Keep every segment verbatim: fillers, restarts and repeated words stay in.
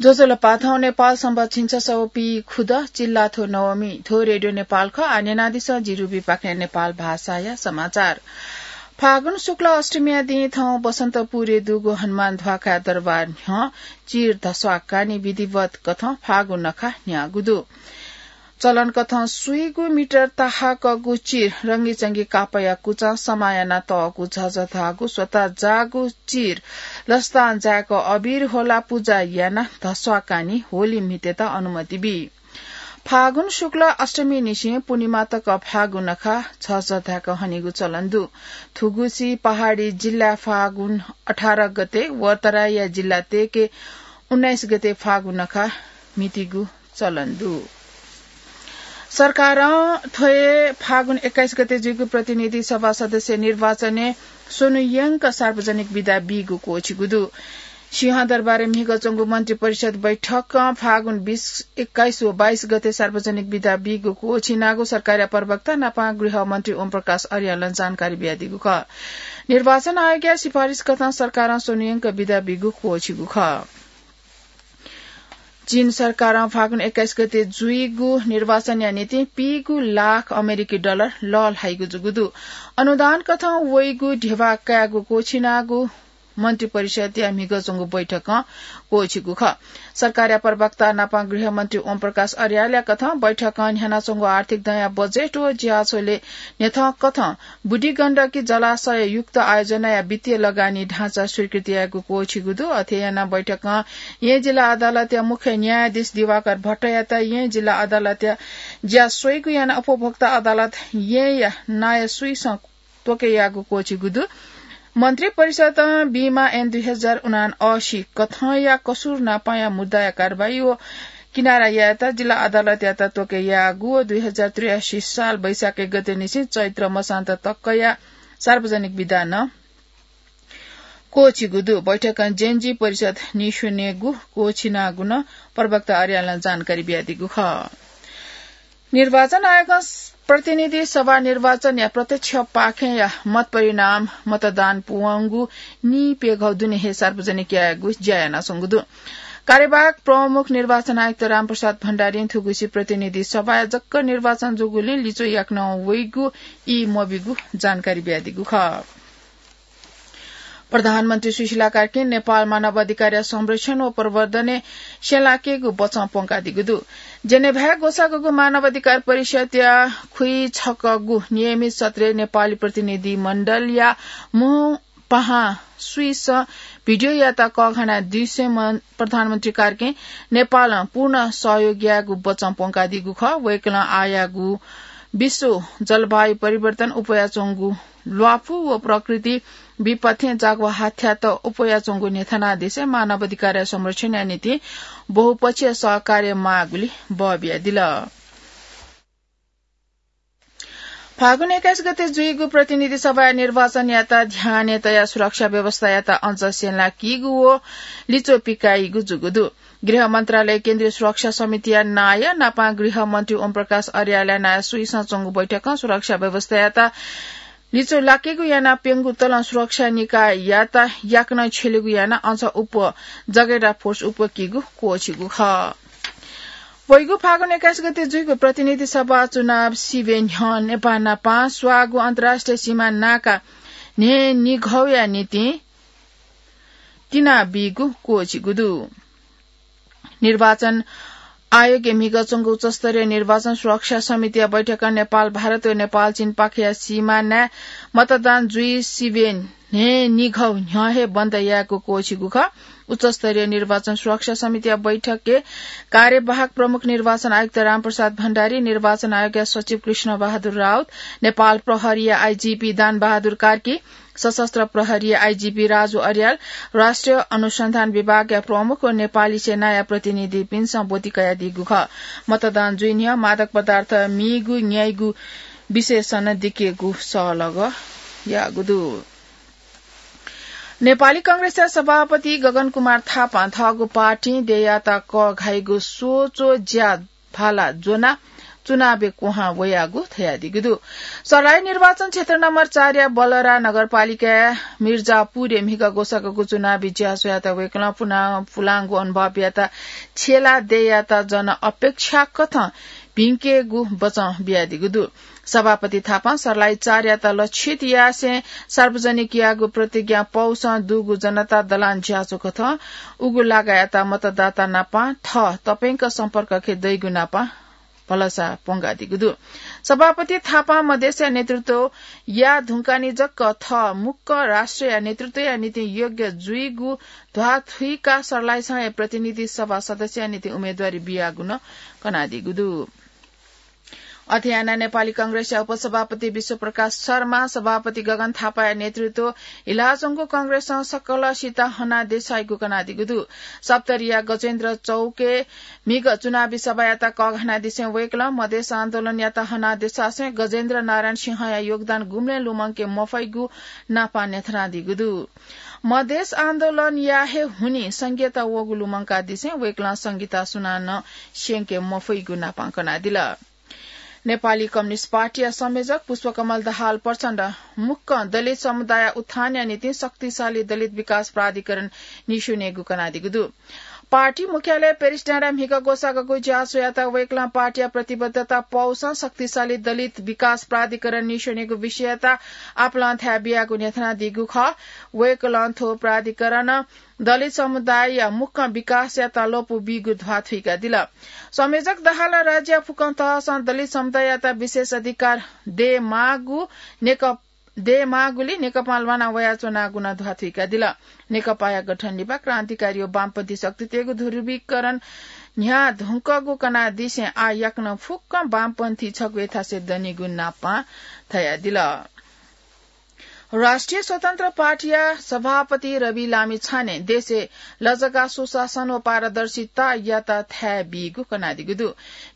ज्वजलपा, थौं नेपाल संवत् झिंछसः व पीखुदँ, चिल्लाथ्व नवमी। थ्व रेडियो नेपाल खः। आः न्यनादिसँ, जि रुबी पाखें नेपाल भाषाया समाचार। फागुन शुक्ल अष्टमीया दिं थौं बसन्तपुरय् दुगु हनुमान ध्वाखाया दरबार न्ह्यः चिर धस्वाकानी विधिवत कथं फागु नखा न्ह्याःगु दु। चलन कथं स्वीगू मिटर ताहाकःगु चिर रंगीचंगी कापःया कुचां समाः याना तःगु झझधाःगु स्वता जाःगु चिर लसतां जाय्क अबिर ह्वलाः पुजा यानाः धस्वाकानी होली म्हितेत अनुमति बी। फागुन शुक्ल अष्टमीनिसें पूर्णिमा तक फागु नखा झझधाय्क हनीगु चलन दु। थुगुसी पहाडी जिल्लाय् फागुन अठार गते व तराईया जिल्ला तेके उन्नाइस गते फागु नखा म्हितीगु चलन दु। सरकारं थ्व हे फागुन एक्काइस गते जुइगु प्रतिनिधि सभा सदस्य निर्वाचनय् स्वन्हुयंक सार्वजनिक बिदा बीगु क्वःछिगु दु। सिंहदरबारय् म्हिगः च्वंगु मन्त्रिपरिषद बैठकं फागुन बीस, एक्काइस व बाइस गते सार्वजनिक बिदा बीगु क्वःछिनागु सरकारया प्रवक्ता नापं गृहमन्त्री ओमप्रकाश अर्यालं जानकारी बियादीगु खः। निर्वाचन आयोगया सिफारिस कथं सरकारं स्वन्हुयंक बिदा बीगु क्वःछिगु खः। चीन सरकारं फागुन एक्काइस गते जुइगु निर्वाचनया निंतिं पीगू लाख अमेरिकी डलर लःल्हाइगु जूगु दु। अनुदान कथं वइगु ध्यबा कायेगु क्वःछिनागु मन्त्रिपरिषदया म्हिगः च्वंगु बैठकं क्वःछिगु खः। सरकारया प्रवक्ता नापं गृहमन्त्री ओमप्रकाश अर्यालया कथं बैठकं न्ह्यानाच्वंगु आर्थिक दँया बजेट व ज्याझ्वलय् न्ह्यथं कथं बुढी गण्डकी जलाशय युक्त आयोजनाया वित्तीय लगानी ढाँचा स्वीकृति यायेगु क्वःछिगु दु। अथे यानाः बैठकं येँ जिल्ला अदालतया मुख्य न्यायाधीश दिवाकर भट्टयात येँ जिल्ला अदालतया ज्या स्वइगु यानाः उपभोक्ता अदालत येँया नायः स्वीसं त्वके याःगु क्वःछिगु दु। मन्त्रिपरिषदं बीमा ऐन दुई हजार उनासी कथंया कसुर नापंया मुद्दाया कारवाही व किनारा यायेत जिल्ला अदालतयात त्वके याःगु व दुई हजार त्रियासी साल वैशाख एक गतेनिसें चैत्र मसान्त तकया सार्वजनिक बिदा नं क्वःछिगु दु। बैठकं जेनजी परिषद निस्वनेगु क्वःछिनागु नं प्रवक्ता अर्यालं जानकारी बियादीगु खः। निर्वाचन आयोगं प्रतिनिधि सभा निर्वाचनया प्रत्यक्ष पाखेंया मत परिणाम मतदान पूवंगु नीप्यघौ दुने हे सार्वजनिक यायेगु ज्या यानाच्वंगु दु। कार्यवाहक प्रमुख निर्वाचन आयुक्त रामप्रसाद भण्डारीं थुगुसी प्रतिनिधि सभाय् जक्क निर्वाचन जूगुलिं लिच्वः याकनं वइगु ई मब्यूगु जानकारी बियादीगु खः। प्रधानमन्त्री सुशीला कार्कीं नेपाल मानव अधिकारया संरक्षण व प्रवर्धनय् स्यंलाकेगु बचं प्वंकादीगु दु। जेनेभाय् ग्वसाःगु मानव अधिकार परिषदया खुइछकःगु नियमित सत्रय् नेपाली प्रतिनिधि मण्डलया मू पाहां स्वीसं भिडियो यात कःघाना दुसें प्रधानमन्त्री कार्कीं नेपालं पूर्ण सहयोग यायेगु बचं प्वंकादीगु खः। वय्कलं आःयाःगु विश्व जलवायु परिवर्तन, उपयाच्वंगु ल्वापु व प्रकृति विपत्तिं जाग्वा हाथ्यात उपयाच्वंगु न्ह्यथनादिसें मानव अधिकारया संरक्षणया निंतिं बहुपक्षीय सहकार्य माःगुली बः बियादिल। फागुन एक्काइस गते जुइगु प्रतिनिधि सभाया निर्वाचनयात ध्यानय् तयाः सुरक्षा व्यवस्थायात अझ स्यंलाकीगु व लिच्वः पिकाइगु जूगु दु। गृह मन्त्रालय केन्द्रीय सुरक्षा समितिया नायः नापं गृहमन्त्री ओमप्रकाश अर्यालया नायः स्वीसं च्वंगु बैठकं सुरक्षा व्यवस्थायात लिच्वः लाकेगु यानाः प्यंगू तलं सुरक्षा निकाययात याकनं छ्यलेगु यानाः अझ उप जगेडा फोर्स उप्वकीगु क्वःछिगु खः। वइगु फागुन एक्काइस गते जुइगु प्रतिनिधि सभा चुनाव सिबें न्ह्यः नेपाः नापं स्वाःगु अन्तर्राष्ट्रिय सीमा नाका न्हय्निघौया निंतिं तिनाबीगु क्वःछिगु दु। निर्वाचन आयोगया म्हिगः च्वंगु उच्चस्तरीय निर्वाचन सुरक्षा समितिया बैठकं नेपाल भारत व नेपाल चीनपाखेया सीमानाय् मतदान जुइ सिबें न्हय्निघौ न्ह्यः हे बन्द यायेगु क्वःछिगु खः। उच्चस्तरीय निर्वाचन सुरक्षा समितिया बैठकय् कार्यवाहक प्रमुख निर्वाचन आयुक्त रामप्रसाद भण्डारी, निर्वाचन आयोगया सचिव कृष्ण बहादुर राउत, नेपाल प्रहरीया आइजिपी दान बहादुर कार्की, सशस्त्र प्रहरीया आइजिपी राजु अर्याल, राष्ट्रिय अनुसन्धान विभागया प्रमुख व नेपाली सेनाया प्रतिनिधिपिन्सं ब्वति कयादीगु खः। मतदान जुइ न्ह्यः मादक पदार्थ मीगु न्याइगु विषयसं दिकेगु सहलह याःगु दु। नेपाली कांग्रेसया सभापति गगन कुमार थापां थःगु पार्टीं देय्‌यात कःघाइगु स्वच्वः ज्या भाला ज्वनाः चुनावय् क्वहां वयागु धयादीगु दु। सर्लाही निर्वाचन क्षेत्र नम्बर चार या बलरा नगरपालिकाया मिर्जापुरय् म्हिगः ग्वसाःगु चुनावी ज्याझ्वःयात वय्कलं पुना-, पुलांगु अनुभवयात छ्यला देयात जन अपेक्षा कथं भिंकेगु बचं बियादीगु दु। सभापति थापां सर्लाही चार यात लक्षित यासें सार्वजनिक याःगु प्रतिज्ञा पौसं दुगु जनता दलान ज्याझ्वः कथं उगु लागायात मतदाता नापं थः तप्यंक सम्पर्कखे दइगु नापं भलसा प्वंकादीगु दु। सभापति थापां मधेसया नेतृत्व या धुंकानि जक थः मुक्क राष्ट्रया नेतृत्वया निंतिं योग्य जुइगु ध्वाथुइकाः सर्लाहीसंया प्रतिनिधि सभा सदस्यया निंतिं उम्मेदवारी बियागु नं कनादीगु दु। अथे यानाः नेपाली कांग्रेसया उपसभापति विश्वप्रकाश शर्मा, सभापति गगन थापाया नेतृत्व हिलाच्वंगु कांग्रेसं सकलसित हनादेसाइगु कनादीगु दु। सप्तरीया गजेन्द्र चौकय् म्हिगः चुनावी सभायात कःघानादिसें वय्कलं मधेस आन्दोलनयात हनादेसासें गजेन्द्र नारायण सिंहया योगदान गुबलें लुमंके मफइगु नापं न्ह्यथनादीगु दु। मधेस आन्दोलनया हे हुनिं संघीयता वःगु लुमंकादिसें वय्कलं संघीयता सुनानं स्यंके मफइगु नापं कनादिल। नेपाली कम्युनिस्ट पार्टीया संयोजक पुष्पकमल दाहाल प्रचण्ड मुक्कं दलित समुदाय उत्थानया निंतिं शक्तिशाली दलित विकास प्राधिकरण निस्वनेगु कनादीगु दु। पार्टी मुख्यालय पेरिस डाँडाय् म्हिगः ग्वसाःगु ज्याझ्वःयात वय्कलं पार्टीया प्रतिबद्धता पौसं शक्तिशाली दलित विकास प्राधिकरण निस्वनेगु विषययात आपालं थाय् बियागु न्ह्यथनादीगु खः। वय्कलं थ्व प्राधिकरण दलित समुदायया मुक्कं विकासयात लँपु बीगु ध्वाथुइकादिल। संयोजक दाहालं राज्यया फुक्कं तहसं दलित समुदाययात विशेष अधिकार दयेमाःगु नेक-, दयेमाःगुलिं नेकपां ल्वाना वयाच्वनागु नं ध्वाथुइकादिल। नेकपाया गठन लिपा क्रान्तिकारी व वामपन्थी शक्तितय्गु ध्रुवीकरण न्ह्याः धुंकूगु कनादिसें आः याकनं फुक्कं वामपन्थी छगू थासय् दनिगु नापं धयादिल। राष्ट्रिय स्वतन्त्र पार्टीया सभापति रवि लामिछानें देशय् लजगाः सुशासन व पारदर्शितायात थाय् बीगु कनादीगु दु।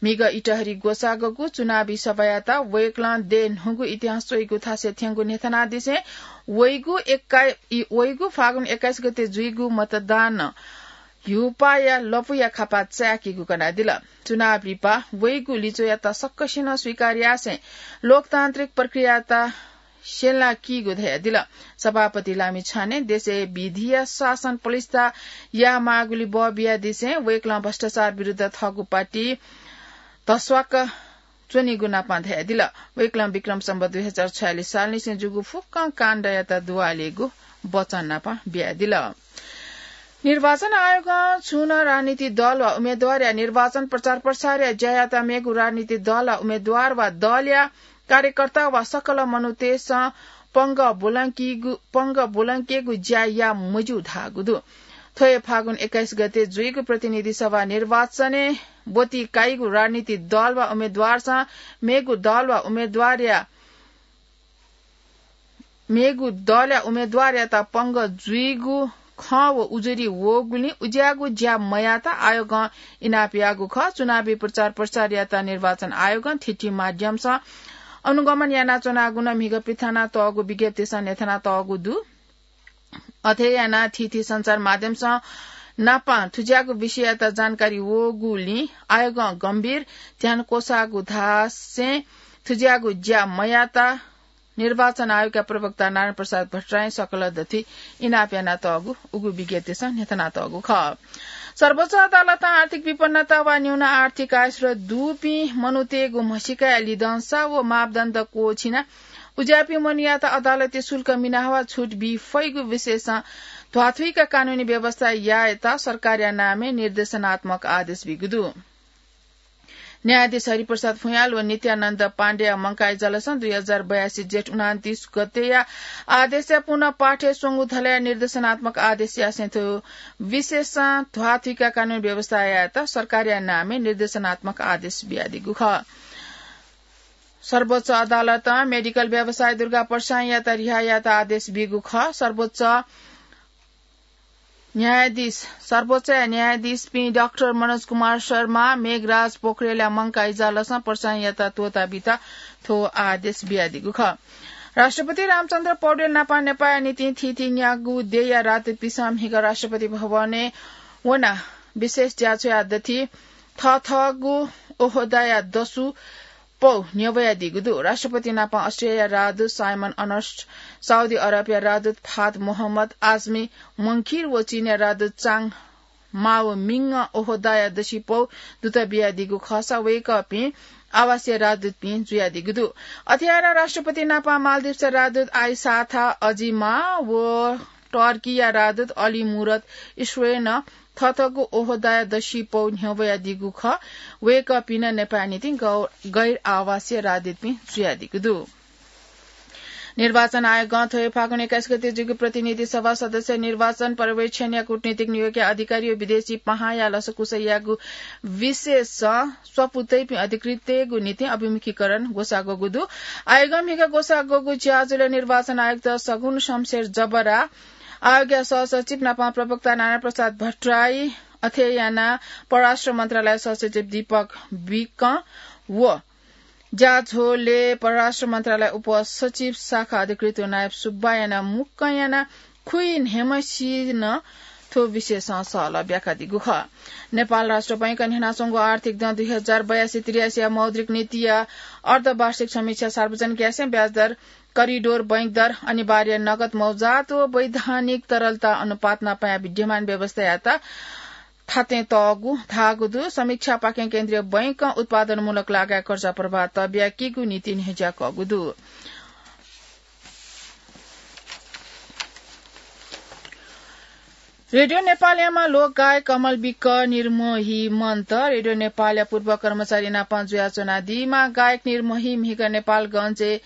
म्हिगः इटहरी ग्वसाःगु चुनावी सभायात वय्कलं देय् न्हूगु इतिहास च्वइगु थासय् थ्यंगु न्ह्यथनादिसें वइगु एक्काइ-, इ-, वइगु फागुन एक्काइस गते जुइगु मतदानं ह्युपाया लँपुया खापा चाय्कीगु कनादिल। चुनाव लिपा वइगु लिच्वःयात सकसिनं स्वीकार यासें लोकतान्त्रिक प्रक्रियायात स्यंलाकीगु धयादिल। सभापति लामिछानें देशय् विधिया शासन पलिस्था यायेमाःगुलिं बः बियादिसें वय्कलं भ्रष्टाचार विरुद्ध थःगु पार्टी धस्वाक च्वनीगु नापं धयादिल। वय्कलं विक्रम सम्वत दुई हजार छयालिस सालनिसें जूगु फुक्कं काण्डयात दुवालेगु वचन नापं बियादिल। निर्वाचन आयोगं छुं नं राजनीतिक दल वा उम्मेदवारया निर्वाचन प्रचार प्रसारया ज्यायात मेगु राजनीतिक दल वा उम्मेदवार वा दलया कार्यकर्ता वा सकल मनूतय्सं पंगः ब्वलंकीगु, पंगः ब्वलंकेगु ज्या याये मज्यू धाःगु दु। थ्व हे फागुन एक्काइस गते जुइगु प्रतिनिधि सभा निर्वाचनय् ब्वति काइगु राजनीतिक दल वा उम्मेदवारसं मेगु दल वा उम्मेदवारया मेगु दलया उम्मेदवारयात पंगः जुइगु खँ व उजुरी वःगुलिं उज्याःगु ज्या मयायेत आयोगं इनाप याःगु खः। चुनावी प्रचार प्रसारयात निर्वाचन आयोगं थीथी माध्यमसं अनुगमन यानाच्वनागु नं म्हिगः पिथनातःगु विज्ञप्तिसं न्ह्यथनातःगु दु। अथे यानाः थीथी सञ्चार माध्यमसं नापं थुज्याःगु विषययात जानकारी वःगुलिं आयोगं गम्भीर ध्यान क्वसाःगु धासें थुज्याःगु ज्या मयायेत निर्वाचन आयोगया प्रवक्ता नारायण प्रसाद भट्टराईं सकल दथुइ इनाप यानातःगु उगु विज्ञप्तिसं न्ह्यथनातःगु खः। सर्वोच्च अदालतं आर्थिक विपन्नता वा न्यून आर्थिक आयस्रोत दुपिं मनूतय्गु म्हसीकाया लिधंसा व मापदण्ड क्वःछिनाः उज्याःपिं मनूयात अदालती शुल्क मिनाः वा छुट बी फइगु विषयसं ध्वाथुइक कानूनी व्यवस्था यायेत सरकारया नामय् निर्देशनात्मक आदेश बीगु दु। न्यायाधीश हरिप्रसाद फुँयाल व नित्यानन्द पाण्डेया मंकाः इजलासं दुई हजार बयासी जेठ उनान्तीस गतेया आदेशया पुनः पाठय् स्वंगु धलया निर्देशनात्मक आदेश यासें थ्व विषयसं ध्वाथुइक कानूनी व्यवस्था यायेत सरकारया नामय् निर्देशनात्मक आदेश बियादीगु खः। सर्वोच्च अदालतं मेडिकल व्यवसायी दुर्गा प्रसाईंयात रिहा यायेत आदेश बीगु खः। सर्वोच्च न्यायाधीश, सर्वोच्चया न्यायाधीशपिं डाक्टर मनोज कुमार शर्मा, मेघराज पोखरेलया मंकाः इजलासं प्रसाईंयात त्वःता बीत थ्व आदेश बियादीगु खः। राष्ट्रपति रामचन्द्र पौडेल नापं नेपाःया निंतिं थीथी न्यागू देय्या राजदूतपिन्सं म्हिगः राष्ट्रपति भवनय् वनाः विशेष ज्याझ्वःया दथुइ थःथःगु ओहदाया दसु पौ न्ह्यब्वयादीगु दु। राष्ट्रपति नापं अस्ट्रियाया राजदूत साइमन अर्नस्ट, साउदी अरबया राजदूत फाहद मोहम्मद आजमी मंखिर व चीनया राजदूत चाङ माओमिङ ओहदाया दसु पौ दुत बियादीगु खःसा वय्कःपिं आवासीय राजदूतपिं जुयादीगु दु। अथे यानाः राष्ट्रपति नापं मालदिप्सया राजदूत आइसाथा अजिमा व टर्कीया राजदूत अली मुरत इस्वेन थःथःगु ओहदाया दसु पौ न्ह्यब्वयादीगु खः। वय्कःपिं नं नेपाःया निंतिं गौ-, गैर आवासीय राजदूतपिं जुयादीगु दु। निर्वाचन आयोगं थ्व हे फागुन एक्काइस गते जूगु प्रतिनिधि सभा सदस्य निर्वाचन पर्यवेक्षणया कूटनीतिक नियोगया अधिकारी व विदेशी पाहांया लसकुस यायेगु विषयसं स्वापू तइपिं अधिकृतय्गु निंतिं अभिमुखीकरण ग्वसाः ग्वःगु दु। आयोगं म्हिगः ग्वसाः ग्वःगु ज्याझ्वलय् निर्वाचन आयुक्त सगुन शमशेर जबरा, आयोगया सहसचिव नापं प्रवक्ता नारायण प्रसाद भट्टराई, अथे यानाः परराष्ट्र मन्त्रालय सहसचिव दीपक विकं व ज्याझ्वलय् परराष्ट्र मन्त्रालय उपसचिव, शाखा अधिकृत व नायब सुब्बा यानाः मुक्कं यानाः खुइन्हय्म्हसिनं थ्व विषयसं सहलह ब्याकादीगु खः। नेपाल राष्ट्र बैंकं न्ह्यानाच्वंगु आर्थिक दँ दुई हजार बयासी त्रियासीया मौद्रिक नीतिया अर्धवार्षिक समीक्षा सार्वजनिक यासें ब्याजदर करिडोर, बैंक दर, अनिवार्य नगद मौजात व वैधानिक तरलता अनुपात नापं विद्यमान व्यवस्थायात थातें तःगु धाःगु दु। समीक्षापाखें केन्द्रीय बैंकं उत्पादनमूलक लागाय् कर्जा प्रवाह तःबियाकीगु नीति न्ह्यज्याकःगु दु। रेडियो नेपालयाम्ह लोकगायक कमल विक निर्मोही मन्त। रेडियो नेपालया पूर्व कर्मचारी नापं जुयाच्वनादीम्ह गायक निर्मोही म्हिगः नेपालगंजय्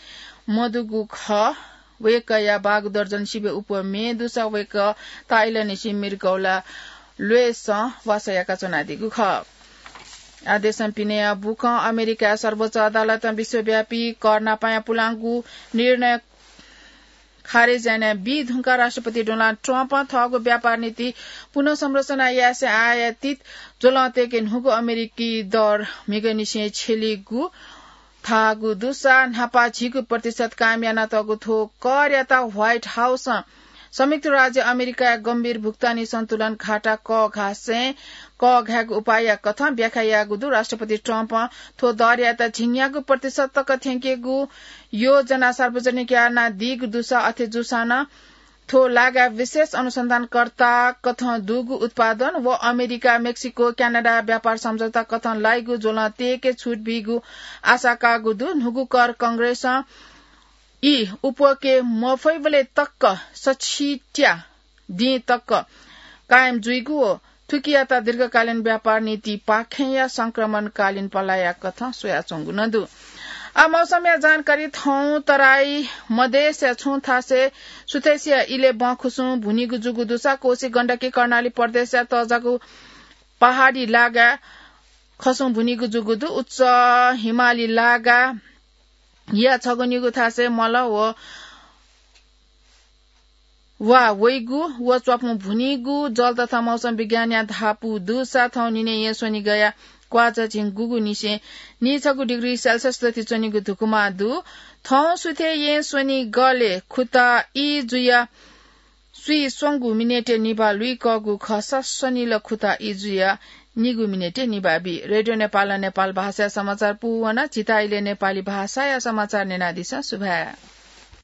मदुगु खः। वय्कःया बागु दर्जन सिबें उप्वः म्ये दुसा वय्कः ताःइलंनिसें मृगौला ल्वय्सं वासः याकाच्वनादीगु खः। आदेशं पिनेया बुखँ अमेरिकाया सर्वोच्च अदालतं विश्वव्यापी कर नापंया पुलांगु निर्णय खारेज यानाबी धुंकाः राष्ट्रपति डोनाल्ड ट्रम्पं थःगु व्यापार नीति पुनर्संरचना यासें आयातित ज्वलंतय्के न्हूगु अमेरिकी दर म्हिगःनिसें छ्यलीगु धाःगु दुसा न्हापा झीगू प्रतिशत कायम यानातःगु थ्व करयात व्हाइट हाउसं संयुक्त राज्य अमेरिकाया गम्भीर भुक्तानी सन्तुलन घाटा कःघासें कःघायेगु उपायया कथं व्याख्या याःगु दु। राष्ट्रपति ट्रम्पं थ्व दरयात झिंन्यागू प्रतिशत तक थ्यंकेगु योजना सार्वजनिक यानादीगु दुसा अथे जूसां नं थ्व लागाय् विशेष अनुसन्धानकर्ता कथं दुगु उत्पादन व अमेरिका, मेक्सिको, क्यानाडा व्यापार सम्झौता कथं लाइगु ज्वलंतय्के छुट बीगु आशा काःगु दु। न्हूगु कर कंग्रेसं ई उप्वके मफइबलय् तक सछित्या दिं तक कायम जुइगु व थुकियात दीर्घकालीन व्यापार नीतिपाखेंया संक्रमणकालीन पलाया कथं स्वयाच्वंगु नं दु। आ, मौसमया जानकारी थौं। तराई मधेसया छुं थासय् सुथय्सिया इलय् बँ खुसुं भुनीगु जूगु दुसा कोसी, गण्डकी, कर्णाली प्रदेशया तःजाःगु पहाडी लागाय् खसुं भुनीगु जूगु दु। उच्च हिमाली लागाया छगू निगू थासय् मल व वा वइगु व च्वापुं भुनीगु जल तथा मौसम विज्ञानया धापू दुसा थौं निन्हय् येँ स्वनिगःया क्वाःझः झिंगुगुनिसें निछगू डिग्री सेल्सियस दथि च्वनीगु धुकुमा दु। थौं सुथय् येँ स्वनिगलय् खुता ई जुया स्वीस्वंगू मिनेटय् निभाः लुइकःगु खःसा स्वनिल खुता ई जुया निगू मिनेटय् निभाः बी। रेडियो नेपालं नेपाल भाषाया समाचार पूवन। झीत इलय् नेपाली भाषाया समाचार न्यनादिसँ। सुभाय्।